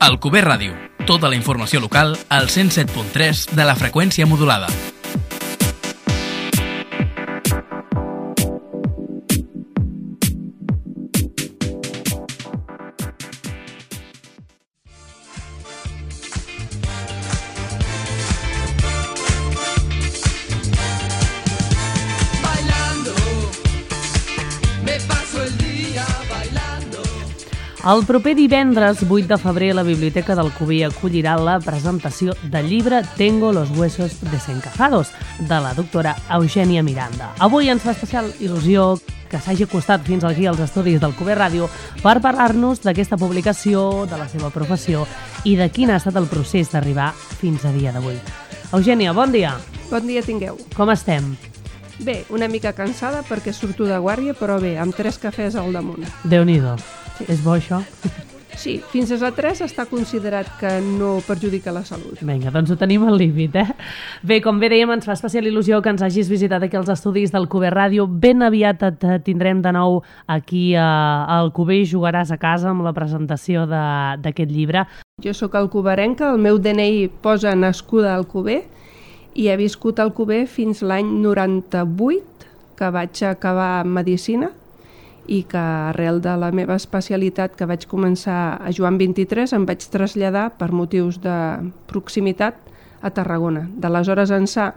Alcover Ràdio. Tota la informació local al 107.3 de la freqüència modulada. El proper divendres 8 de febrer la Biblioteca d'Alcover acollirà la presentació del llibre Tengo los huesos desencajados, de la doctora Eugènia Miranda. Avui ens fa especial il·lusió que s'hagi acostat fins aquí als estudis d'Alcover Ràdio per parlar-nos d'aquesta publicació, de la seva professió i de quin ha estat el procés d'arribar fins a dia d'avui. Eugènia, bon dia. Bon dia tingueu. Com estem? Bé, una mica cansada perquè surto de guàrdia, però bé, amb 3 cafès al damunt. Déu-n'hi-do. Sí. És bo, això? Sí, fins a 3 està considerat que no perjudica la salut. Vinga, doncs ho tenim al límit, eh? Bé, com bé dèiem, ens fa especial il·lusió que ens hagis visitat aquí als estudis d'Alcover Ràdio. Ben aviat et tindrem de nou aquí a Alcover i jugaràs a casa amb la presentació d'aquest llibre. Jo sóc alcoverenca, el meu DNI posa nascuda a Alcover i he viscut a Alcover fins l'any 98, que vaig acabar Medicina, i que arrel de la meva especialitat que vaig començar a Joan 23 em vaig traslladar per motius de proximitat a Tarragona. D'aleshores ençà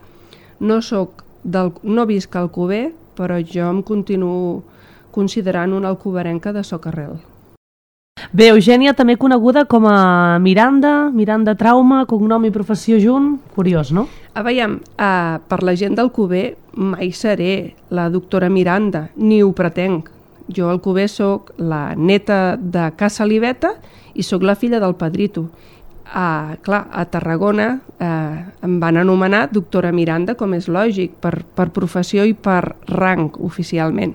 no visc a Alcover, però jo em continuo considerant una alcoverenca de socarrel. Bé, Eugènia, també coneguda com a Miranda Trauma, cognom i professió junt. Curiós, no? Veiem, per la gent d'Alcover mai seré la doctora Miranda, ni ho pretenc. Jo a Alcover soc la neta de Casa Saliveta i soc la filla del Pedrito. Clar, a Tarragona em van anomenar doctora Miranda, com és lògic, per professió i per rang oficialment.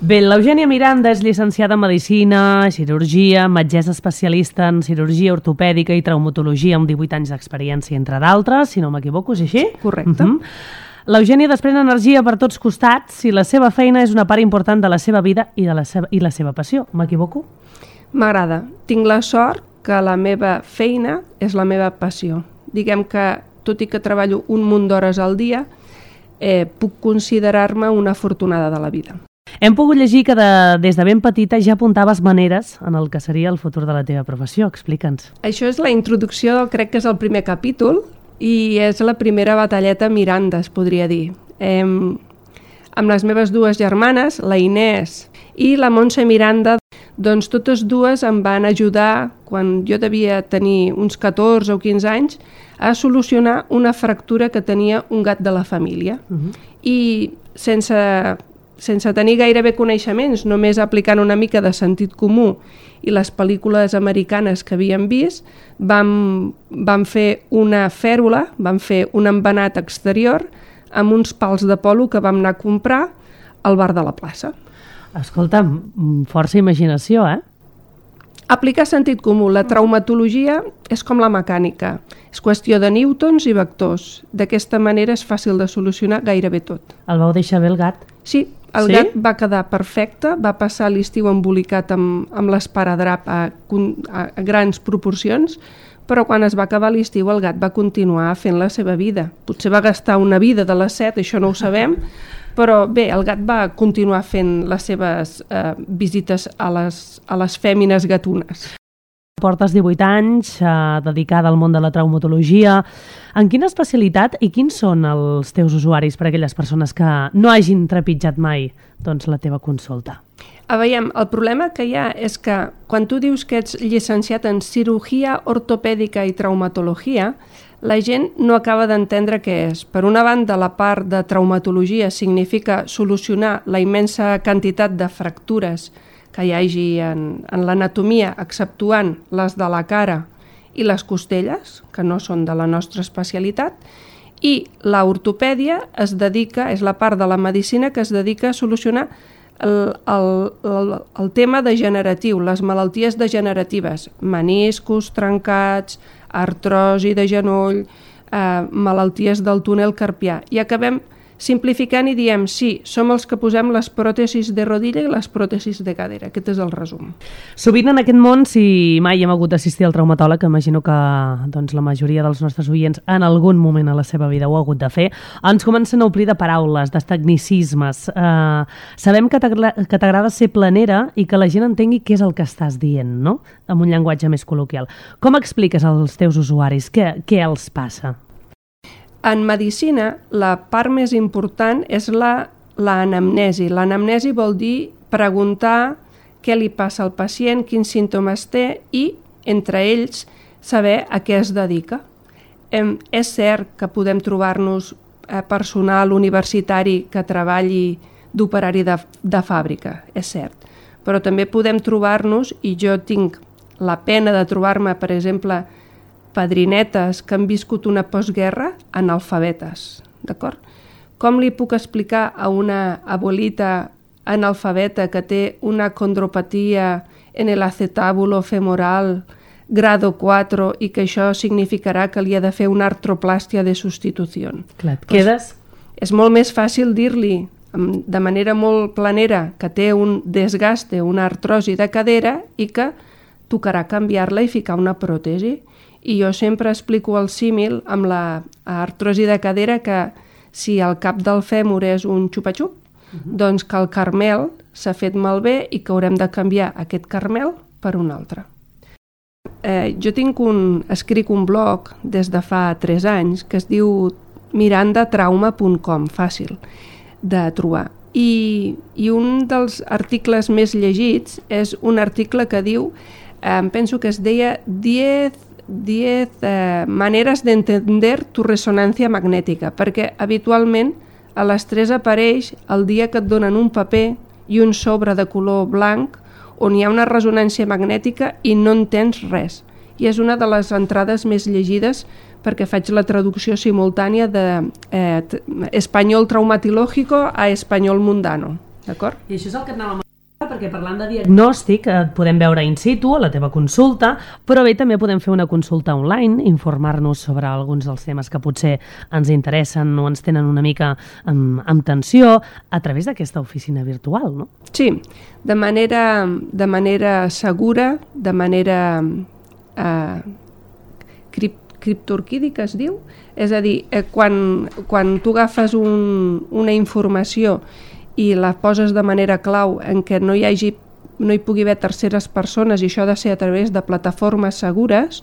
Bé, l'Eugènia Miranda és llicenciada en Medicina, Cirurgia, metgessa especialista en cirurgia ortopèdica i traumatologia amb 18 anys d'experiència, entre d'altres, si no m'equivoco, és així? Correcte. L'Eugènia desprèn energia per tots costats i la seva feina és una part important de la seva vida i la seva passió. M'equivoco? M'agrada. Tinc la sort que la meva feina és la meva passió. Diguem que, tot i que treballo un munt d'hores al dia, puc considerar-me una afortunada de la vida. Hem pogut llegir que des de ben petita ja apuntaves maneres en el que seria el futur de la teva professió. Explica'ns. Això és la introducció, crec que és el primer capítol, i és la primera batalleta Miranda, es podria dir. Amb les meves dues germanes, la Inés i la Montse Miranda, doncs totes dues em van ajudar, quan jo devia tenir uns 14 o 15 anys, a solucionar una fractura que tenia un gat de la família. I sense tenir gairebé coneixements, només aplicant una mica de sentit comú i les pel·lícules americanes que havíem vist, vam fer una fèrula, vam fer un embenat exterior amb uns pals de polo que vam anar a comprar al bar de la plaça. Escolta, força imaginació, eh? Aplicar sentit comú. La traumatologia és com la mecànica. És qüestió de newtons i vectors. D'aquesta manera és fàcil de solucionar gairebé tot. El vau deixar bé el gat? Sí, el gat va quedar perfecte, va passar l'estiu embolicat amb l'esparadrap a grans proporcions, però quan es va acabar l'estiu el gat va continuar fent la seva vida. Potser va gastar una vida de les 7, això no ho sabem, però bé, el gat va continuar fent les seves visites a les fèmines gatunes. Portes 18 anys dedicada al món de la traumatologia. En quina especialitat i quins són els teus usuaris per a aquelles persones que no hagin trepitjat mai la teva consulta? Veiem, el problema que hi ha és que quan tu dius que ets llicenciat en cirurgia ortopèdica i traumatologia, la gent no acaba d'entendre què és. Per una banda, la part de traumatologia significa solucionar la immensa quantitat de fractures que hi hagi en l'anatomia, exceptuant les de la cara i les costelles, que no són de la nostra especialitat, i l'ortopèdia és la part de la medicina que es dedica a solucionar el tema degeneratiu, les malalties degeneratives, meniscos trencats, artrosi de genoll, malalties del túnel carpià. I acabem Simplificant i diem, sí, som els que posem les pròtesis de rodilla i les pròtesis de cadera. Aquest és el resum. Sovint en aquest món, si mai hem hagut d'assistir al traumatòleg, imagino que la majoria dels nostres oients en algun moment a la seva vida ho ha hagut de fer, ens comencen a omplir de paraules, de tecnicismes. Sabem que t'agrada ser planera i que la gent entengui què és el que estàs dient, no? Amb un llenguatge més col·loquial. Com expliques als teus usuaris? Què els passa? En medicina, la part més important és l'anamnesi. L'anamnesi vol dir preguntar què li passa al pacient, quins símptomes té i, entre ells, saber a què es dedica. És cert que podem trobar-nos personal universitari que treballi d'operari de fàbrica, és cert. Però també podem trobar-nos, i jo tinc la pena de trobar-me, per exemple, padrinetes que han viscut una postguerra analfabetes, d'acord? Com li puc explicar a una abuelita analfabeta que té una condropatia en el acetábulo femoral grado 4 i que això significarà que li ha de fer una artroplàstia de substitució? Clar, et quedes... És molt més fàcil dir-li de manera molt planera que té un desgaste, una artrosi de cadera i que tocarà canviar-la i ficar una pròtesi. I jo sempre explico el símil amb la artrosi de cadera que si el cap del fèmur és un xupa-xup, doncs que el carmel s'ha fet malbé i que haurem de canviar aquest carmel per un altre. Jo escric un blog des de fa 3 anys que es diu mirandatrauma.com, fàcil de trobar. I un dels articles més llegits és un article que diu, penso que es deia 10 maneres d'entender tu ressonància magnètica, perquè habitualment a les 3 apareix el dia que et donen un paper i un sobre de color blanc on hi ha una ressonància magnètica i no entens res. I és una de les entrades més llegides perquè faig la traducció simultània de espanyol traumatológico a espanyol mundano, d'acord? I això és el que anàvem perquè parlant de diagnòstic et podem veure in situ a la teva consulta, però bé, també podem fer una consulta online, informar-nos sobre alguns dels temes que potser ens interessen o ens tenen una mica amb tensió a través d'aquesta oficina virtual, no? Sí, de manera segura, de manera criptorquídica es diu, és a dir, quan tu agafes una informació i la poses de manera clau en què no hi pugui haver terceres persones i això ha de ser a través de plataformes segures,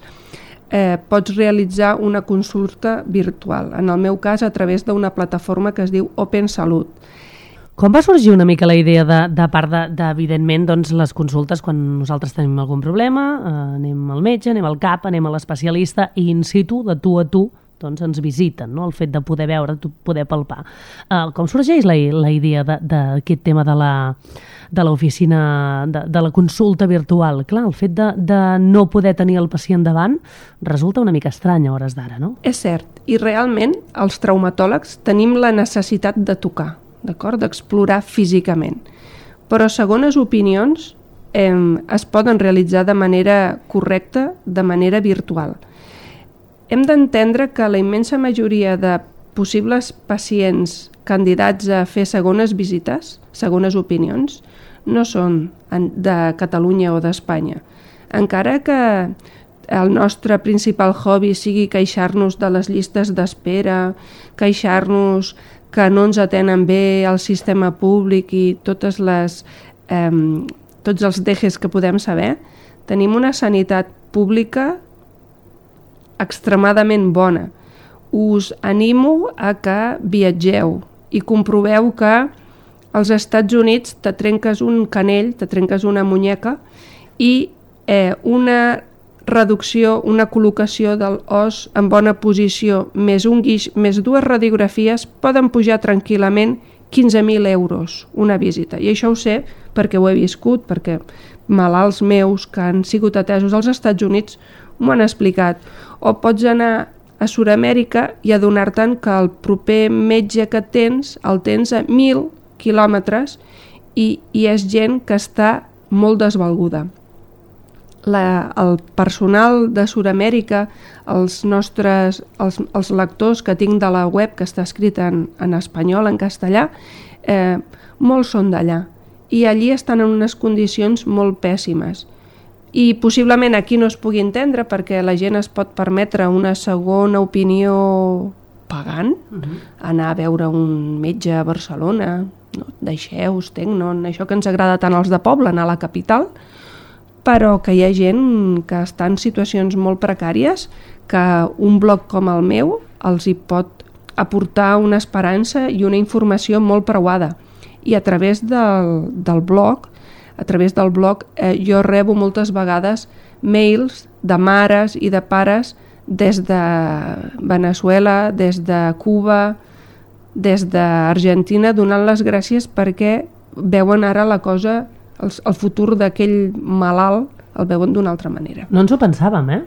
pots realitzar una consulta virtual. En el meu cas, a través d'una plataforma que es diu Open Salut. Com va sorgir una mica la idea de part evidentment, doncs, les consultes quan nosaltres tenim algun problema, anem al metge, anem al CAP, anem a l'especialista i in situ, de tu a tu, doncs ens visiten, no? El fet de poder veure, poder palpar. Com sorgeix la idea d'aquest tema de l'oficina, de la consulta virtual? Clar, el fet de no poder tenir el pacient davant resulta una mica estrany a hores d'ara, no? És cert, i realment els traumatòlegs tenim la necessitat de tocar, d'acord? D'explorar físicament. Però segones opinions es poden realitzar de manera correcta, de manera virtual. Hem d'entendre que la immensa majoria de possibles pacients candidats a fer segones visites, segones opinions, no són de Catalunya o d'Espanya. Encara que el nostre principal hobby sigui queixar-nos de les llistes d'espera, queixar-nos que no ens atenen bé el sistema públic i tots els dejes que podem saber, tenim una sanitat pública extremadament bona. Us animo a que viatgeu i comproveu que als Estats Units te trenques un canell, te trenques una muñeca i una reducció, una col·locació del os en bona posició més un guix, més 2 radiografies poden pujar tranquil·lament 15.000 euros una visita. I això ho sé perquè ho he viscut, perquè malalts meus que han sigut atesos als Estats Units m'ho han explicat. O pots anar a Sud-amèrica i adonar-te'n que el proper metge que tens el tens a 1.000 quilòmetres i és gent que està molt desvalguda. el personal de Sud-amèrica, els lectors que tinc de la web, que està escrit en espanyol, en castellà, molts són d'allà. I allí estan en unes condicions molt pèssimes. I possiblement aquí no es pugui entendre perquè la gent es pot permetre una segona opinió pagant, anar a veure un metge a Barcelona, no, deixeu-vos, això que ens agrada tant als de poble, anar a la capital, però que hi ha gent que està en situacions molt precàries, que un blog com el meu els hi pot aportar una esperança i una informació molt preuada. I a través del blog jo rebo moltes vegades mails de mares i de pares des de Veneçuela, des de Cuba, des d'Argentina, donant les gràcies perquè veuen ara la cosa, el futur d'aquell malalt el veuen d'una altra manera. No ens ho pensàvem, eh?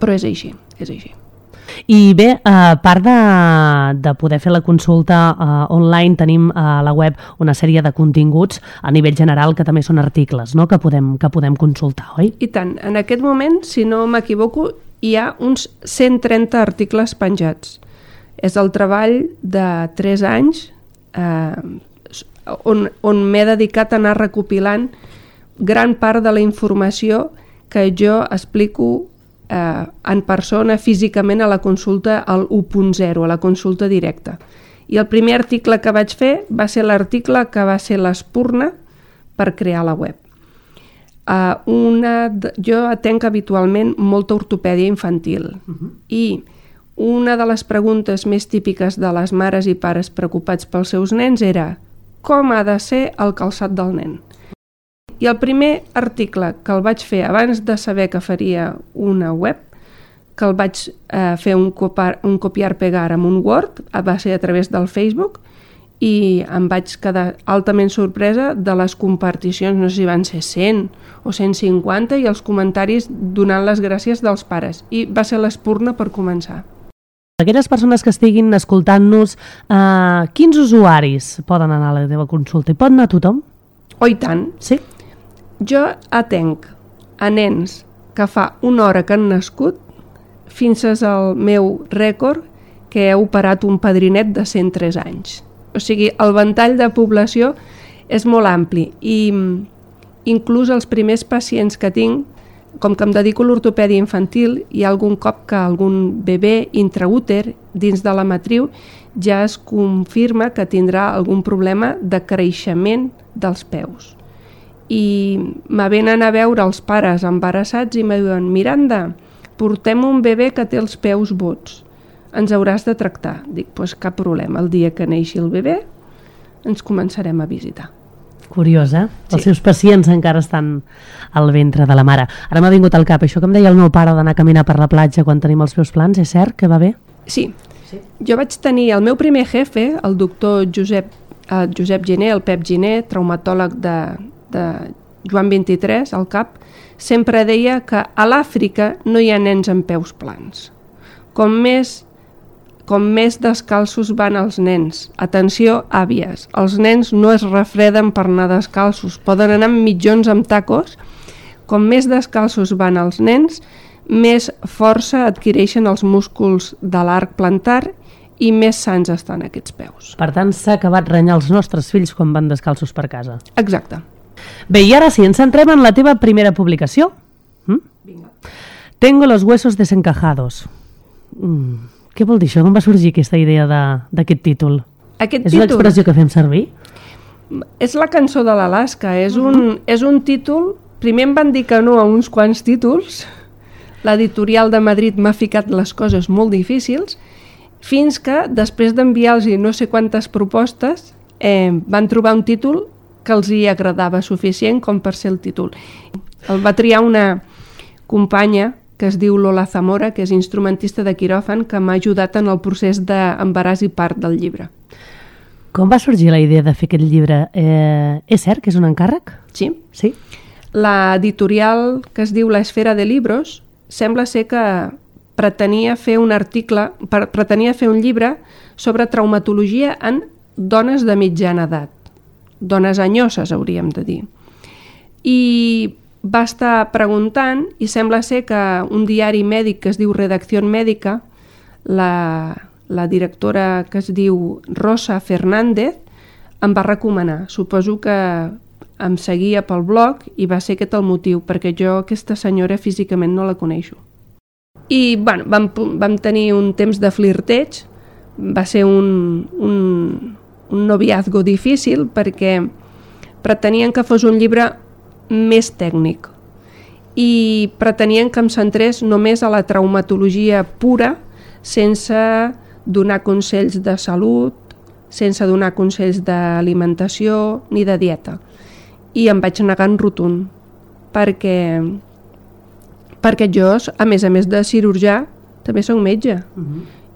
Però és així, és així. I bé, a part de poder fer la consulta online, tenim a la web una sèrie de continguts a nivell general que també són articles, no?, que podem consultar, oi? I tant. En aquest moment, si no m'equivoco, hi ha uns 130 articles penjats. És el treball de 3 anys on m'he dedicat a anar recopilant gran part de la informació que jo explico en persona, físicament, a la consulta al 1.0, a la consulta directa. I el primer article que vaig fer va ser l'article que va ser l'espurna per crear la web. Jo atenc habitualment molta ortopèdia infantil i una de les preguntes més típiques de les mares i pares preocupats pels seus nens era com ha de ser el calçat del nen. I el primer article que el vaig fer abans de saber que faria una web, que el vaig fer un copiar-pegar amb un Word, va ser a través del Facebook, i em vaig quedar altament sorpresa de les comparticions, no sé si van ser 100 o 150, i els comentaris donant les gràcies dels pares. I va ser l'espurna per començar. Aquelles persones que estiguin escoltant-nos, quins usuaris poden anar a la teva consulta? Hi pot anar tothom? Oh, i tant. Sí? Jo atenc a nens que fa una hora que han nascut fins al meu rècord, que he operat un padrinet de 103 anys. O sigui, el ventall de població és molt ampli i inclús els primers pacients que tinc, com que em dedico a l'ortopèdia infantil, hi ha algun cop que algun bebè intraúter dins de la matriu ja es confirma que tindrà algun problema de creixement dels peus. I me venen a veure els pares embarassats i me diuen: Miranda, portem un bebè que té els peus bots, ens hauràs de tractar. Dic, doncs cap problema, el dia que neixi el bebè ens començarem a visitar. Curiós, eh? Sí. Els seus pacients encara estan al ventre de la mare. Ara m'ha vingut al cap això que em deia el meu pare d'anar a caminar per la platja quan tenim els meus plans, és cert que va bé? Sí. Jo vaig tenir el meu primer jefe, el doctor Josep Giner, el Pep Giner, traumatòleg de Joan 23, al CAP, sempre deia que a l'Àfrica no hi ha nens amb peus plans. Com més descalços van els nens. Atenció, àvies, els nens no es refreden per anar descalços, poden anar amb mitjons amb tacos. Com més descalços van els nens, més força adquireixen els músculs de l'arc plantar i més sans estan aquests peus. Per tant, s'ha acabat renyar els nostres fills quan van descalços per casa. Exacte. Bé, i ara sí, ens centrem en la teva primera publicació. Vinga. Tengo los huesos desencajados. Què vol dir això? Com va sorgir aquesta idea d'aquest títol? És una expressió que fem servir? És la cançó de l'Alaska. És un títol... Primer em van dir que no a uns quants títols. L'editorial de Madrid m'ha ficat les coses molt difícils, fins que, després d'enviar-los no sé quantes propostes, van trobar un títol que els hi agradava suficient com per ser el títol. El va triar una companya que es diu Lola Zamora, que és instrumentista de quiròfan, que m'ha ajudat en el procés d'embaràs i part del llibre. Com va sorgir la idea de fer aquest llibre? És cert que és un encàrrec? Sí. Sí? L'editorial que es diu La Esfera de Libros sembla ser que pretenia fer un llibre sobre traumatologia en dones de mitjana edat. Dones anyoses, hauríem de dir. I va estar preguntant i sembla ser que un diari mèdic que es diu Redacció Mèdica, la directora que es diu Rosa Fernández, em va recomanar. Suposo que em seguia pel blog i va ser aquest el motiu, perquè jo aquesta senyora físicament no la coneixo. I bueno, vam tenir un temps de flirteig, va ser un noviazgo difícil perquè pretenien que fos un llibre més tècnic i pretenien que em centrés només a la traumatologia pura, sense donar consells de salut, sense donar consells d'alimentació ni de dieta. I em vaig negar en rotund, perquè jo, a més de cirurgià, també soc metge.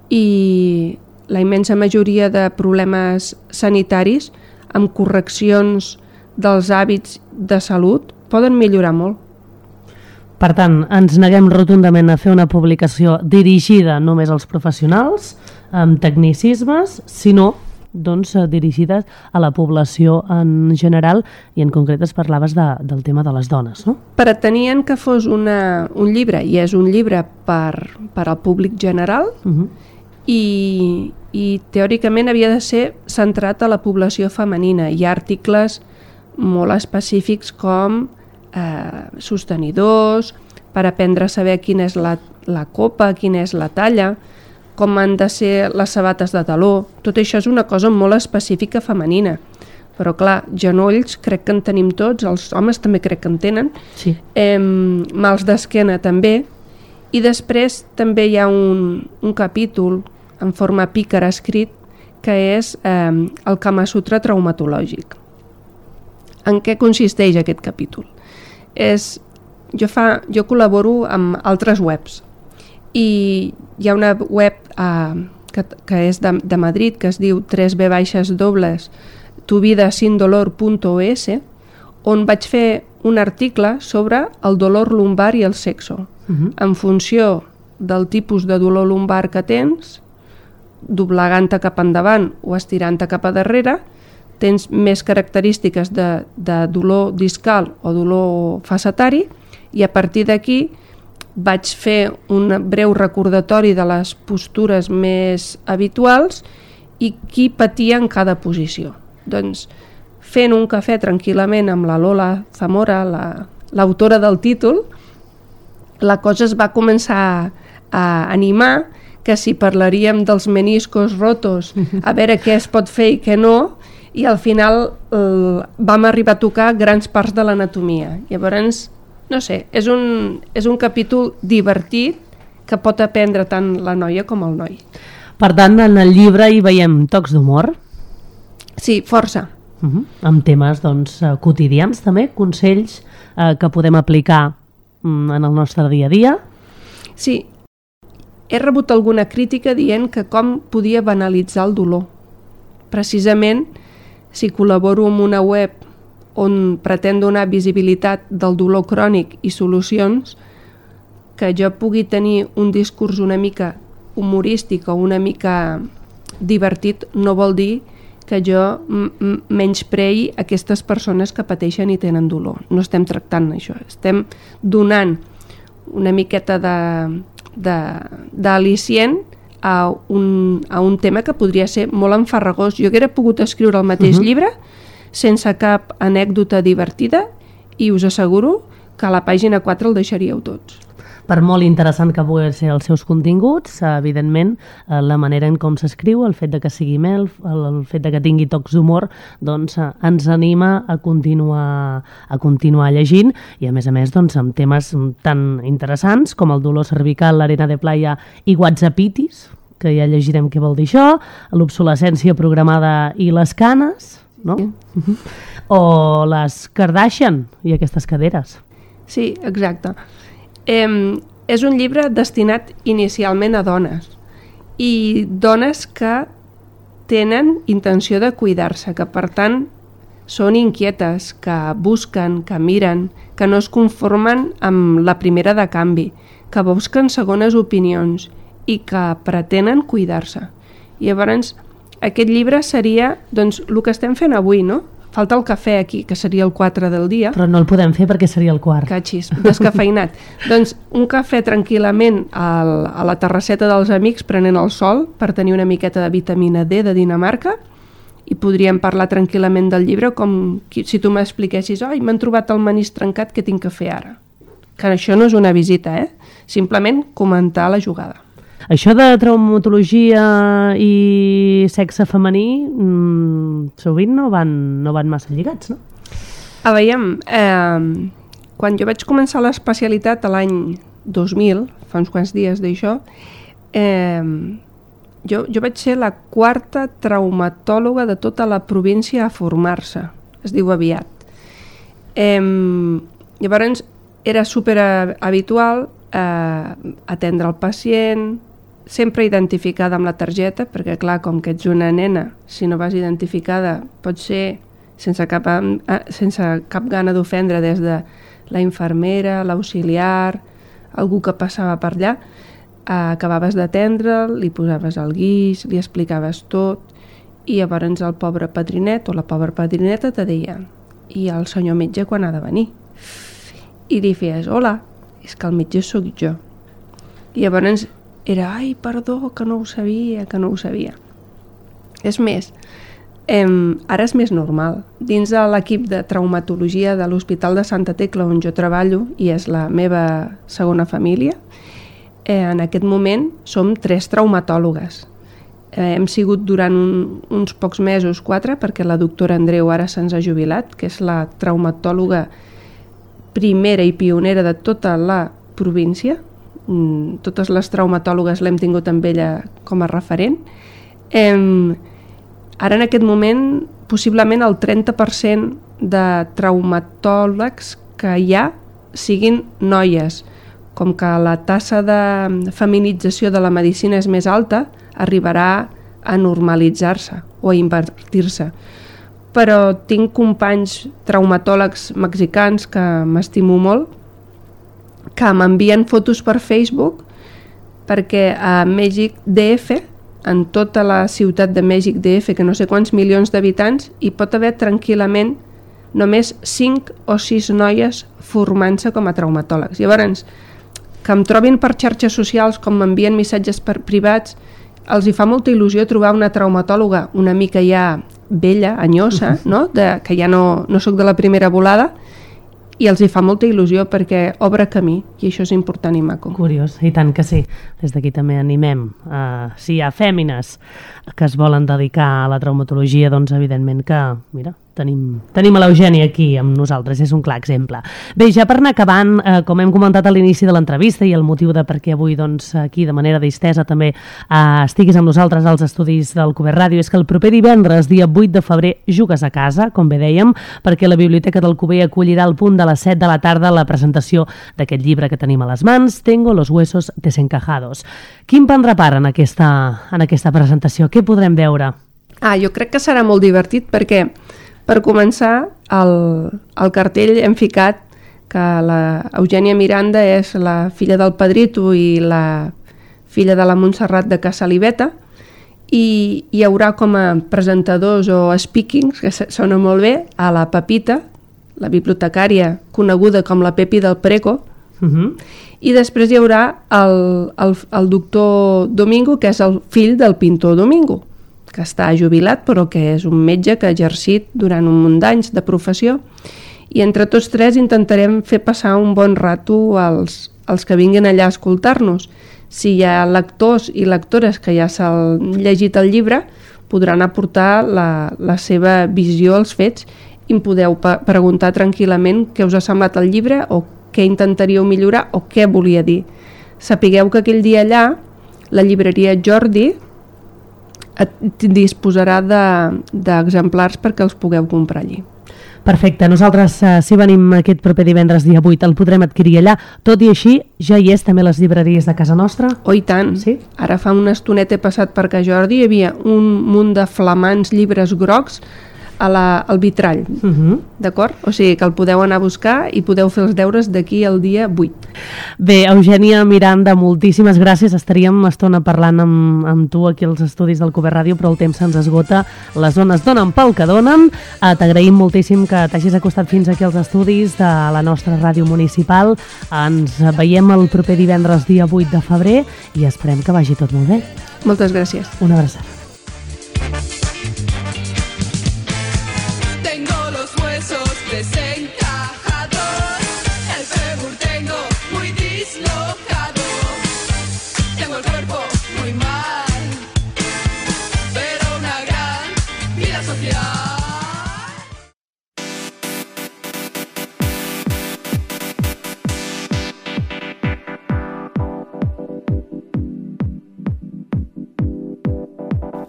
I la immensa majoria de problemes sanitaris, amb correccions dels hàbits de salut, poden millorar molt. Per tant, ens neguem rotundament a fer una publicació dirigida només als professionals, amb tecnicismes, sinó doncs, dirigides a la població en general, i en concret es parlaves del tema de les dones, no? Pretenien que fos un llibre, i és un llibre per al públic general, i teòricament havia de ser centrat a la població femenina. Hi ha articles molt específics com sostenidors, per aprendre a saber quina és la copa, quina és la talla, com han de ser les sabates de taló. Tot això és una cosa molt específica femenina. Però clar, genolls crec que en tenim tots, els homes també crec que en tenen, sí. Mals d'esquena també, i després també hi ha un capítol en forma pícara escrit que és el Kama Sutra traumatològic. En què consisteix aquest capítol? Jo col·laboro amb altres webs i hi ha una web que és de Madrid que es diu tuvidasindolor.es, on vaig fer un article sobre el dolor lumbar i el sexo. En funció del tipus de dolor lumbar que tens, doblegant-te cap endavant o estirant-te cap a darrere, tens més característiques de dolor discal o dolor facetari, i a partir d'aquí vaig fer un breu recordatori de les postures més habituals i qui patia en cada posició. Doncs fent un cafè tranquil·lament amb la Lola Zamora, l'autora del títol, la cosa es va començar a animar, que si parlaríem dels meniscos rotos, a veure què es pot fer i què no, i al final vam arribar a tocar grans parts de l'anatomia. Llavors, no sé, és un capítol divertit que pot aprendre tant la noia com el noi. Per tant, en el llibre hi veiem tocs d'humor? Sí, força. Amb temes doncs, quotidians també, consells que podem aplicar en el nostre dia a dia? Sí, he rebut alguna crítica dient que com podia banalitzar el dolor. Precisament, si col·laboro amb una web on pretén donar visibilitat del dolor crònic i solucions, que jo pugui tenir un discurs una mica humorístic o una mica divertit no vol dir que jo menysprei aquestes persones que pateixen i tenen dolor. No estem tractant això, estem donant una miqueta d'al·licient a un tema que podria ser molt enfarragós. Jo hauria pogut escriure el mateix llibre sense cap anècdota divertida i us asseguro que a la pàgina 4 el deixaríeu tots. Per molt interessant que puguin ser els seus continguts, evidentment, la manera en com s'escriu, el fet de que sigui mel, el fet de que tingui tocs d'humor, doncs ens anima a continuar llegint i, a més, doncs, amb temes tan interessants com el dolor cervical, l'arena de playa i whatsappitis, que ja llegirem què vol dir això, l'obsolescència programada i les canes, no? O les Kardashian i aquestes caderes. Sí, exacte. És un llibre destinat inicialment a dones i dones que tenen intenció de cuidar-se, que per tant són inquietes, que busquen, que miren, que no es conformen amb la primera de canvi, que busquen segones opinions i que pretenen cuidar-se. I llavors aquest llibre seria doncs, el que estem fent avui, no? falta el cafè aquí, que seria el 4 del dia. Però no el podem fer perquè seria el quart. Catxis, descafeinat. Doncs un cafè tranquil·lament a la terrasseta dels amics prenent el sol per tenir una miqueta de vitamina D de Dinamarca i podríem parlar tranquil·lament del llibre com si tu m'expliquessis m'han trobat el manís trencat, què tinc que fer ara? Que això no és una visita, simplement comentar la jugada. Això de traumatologia i sexe femení sovint no van massa lligats, no? Veiem, quan jo vaig començar l'especialitat a l'any 2000, fa uns quants dies d'això, jo vaig ser la 4a traumatòloga de tota la província a formar-se, es diu aviat. Llavors era superhabitual atendre el pacient, sempre identificada amb la targeta, perquè clar, com que ets una nena, si no vas identificada pot ser sense cap gana d'ofendre des de la infermera, l'auxiliar, algú que passava per allà, acabaves d'atendre'l, li posaves el guix, li explicaves tot i llavors el pobre padrinet o la pobra padrineta te deia i el senyor metge quan ha de venir? I li feies, hola, és que el metge sóc jo. I llavors era, ai, perdó, que no ho sabia. És més, ara és més normal. Dins de l'equip de traumatologia de l'Hospital de Santa Tecla, on jo treballo, i és la meva segona família, en aquest moment som 3 traumatòlogues. Hem sigut durant uns pocs mesos 4, perquè la doctora Andreu ara se'ns ha jubilat, que és la traumatòloga primera i pionera de tota la província. Totes les traumatòlogues l'hem tingut amb ella com a referent. Ara en aquest moment possiblement el 30% de traumatòlegs que hi ha siguin noies. Com que la tassa de feminització de la medicina és més alta, arribarà a normalitzar-se o a invertir-se. Però tinc companys traumatòlegs mexicans que m'estimo molt, que m'envien fotos per Facebook perquè a Mèxic DF, en tota la ciutat de Mèxic DF, que no sé quants milions d'habitants, hi pot haver tranquil·lament només 5 o 6 noies formant-se com a traumatòlegs. Llavors, que em trobin per xarxes socials, com m'envien missatges privats, els hi fa molta il·lusió trobar una traumatòloga una mica ja vella, anyosa, no? Que ja no soc de la primera volada, i els hi fa molta il·lusió perquè obre camí, i això és important i maco. Curiós, i tant que sí. Des d'aquí també animem. Si hi ha fèmines que es volen dedicar a la traumatologia, doncs evidentment que, mira, tenim a l'Eugènia aquí amb nosaltres, és un clar exemple. Bé, ja per anar acabant, com hem comentat a l'inici de l'entrevista i el motiu de per què avui doncs, aquí de manera distesa també estiguis amb nosaltres als estudis del Cuber Ràdio, és que el proper divendres, dia 8 de febrer, jugues a casa, com bé dèiem, perquè la Biblioteca del Cuber acollirà al punt de les 7 de la tarda la presentació d'aquest llibre que tenim a les mans, Tengo los huesos desencajados. Quin prendrà part en aquesta presentació? Què podrem veure? Jo crec que serà molt divertit perquè per començar, al cartell hem ficat que la Eugènia Miranda és la filla del Pedrito i la filla de la Montserrat de Casalibeta, i hi haurà com a presentadors o speakings, que sona molt bé, a la Pepita, la bibliotecària coneguda com la Pepi del Preco, i després hi haurà el doctor Domingo, que és el fill del pintor Domingo, que està jubilat però que és un metge que ha exercit durant un munt d'anys de professió, i entre tots 3 intentarem fer passar un bon rato als que vinguin allà a escoltar-nos. Si hi ha lectors i lectores que ja s'han llegit el llibre, podran aportar la seva visió als fets i em podeu preguntar tranquil·lament què us ha semblat el llibre o què intentaríeu millorar o què volia dir. Sapigueu que aquell dia allà la llibreria Jordi disposarà d'exemplars perquè els pugueu comprar allí. Perfecte, nosaltres si venim aquest proper divendres dia 8 el podrem adquirir allà, tot i així ja hi és també les llibreries de casa nostra? Oh, i tant, sí? Ara fa una estoneta he passat per Can Jordi, hi havia un munt de flamants llibres grocs al vitrall. D'acord? O sigui que el podeu anar a buscar i podeu fer els deures d'aquí al dia 8. Bé, Eugènia Miranda, moltíssimes gràcies. Estaríem una estona parlant amb tu aquí als estudis del Cuber Ràdio, però el temps se'ns esgota, les zones donen pel que donen. T'agraïm moltíssim que t'hagis acostat fins aquí als estudis de la nostra ràdio municipal. Ens veiem el proper divendres, dia 8 de febrer, i esperem que vagi tot molt bé. Moltes gràcies. Una abraçada.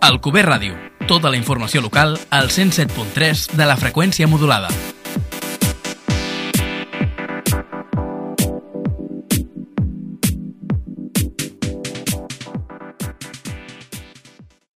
Al Cuber Ràdio, tota la informació local al 107.3 de la freqüència modulada.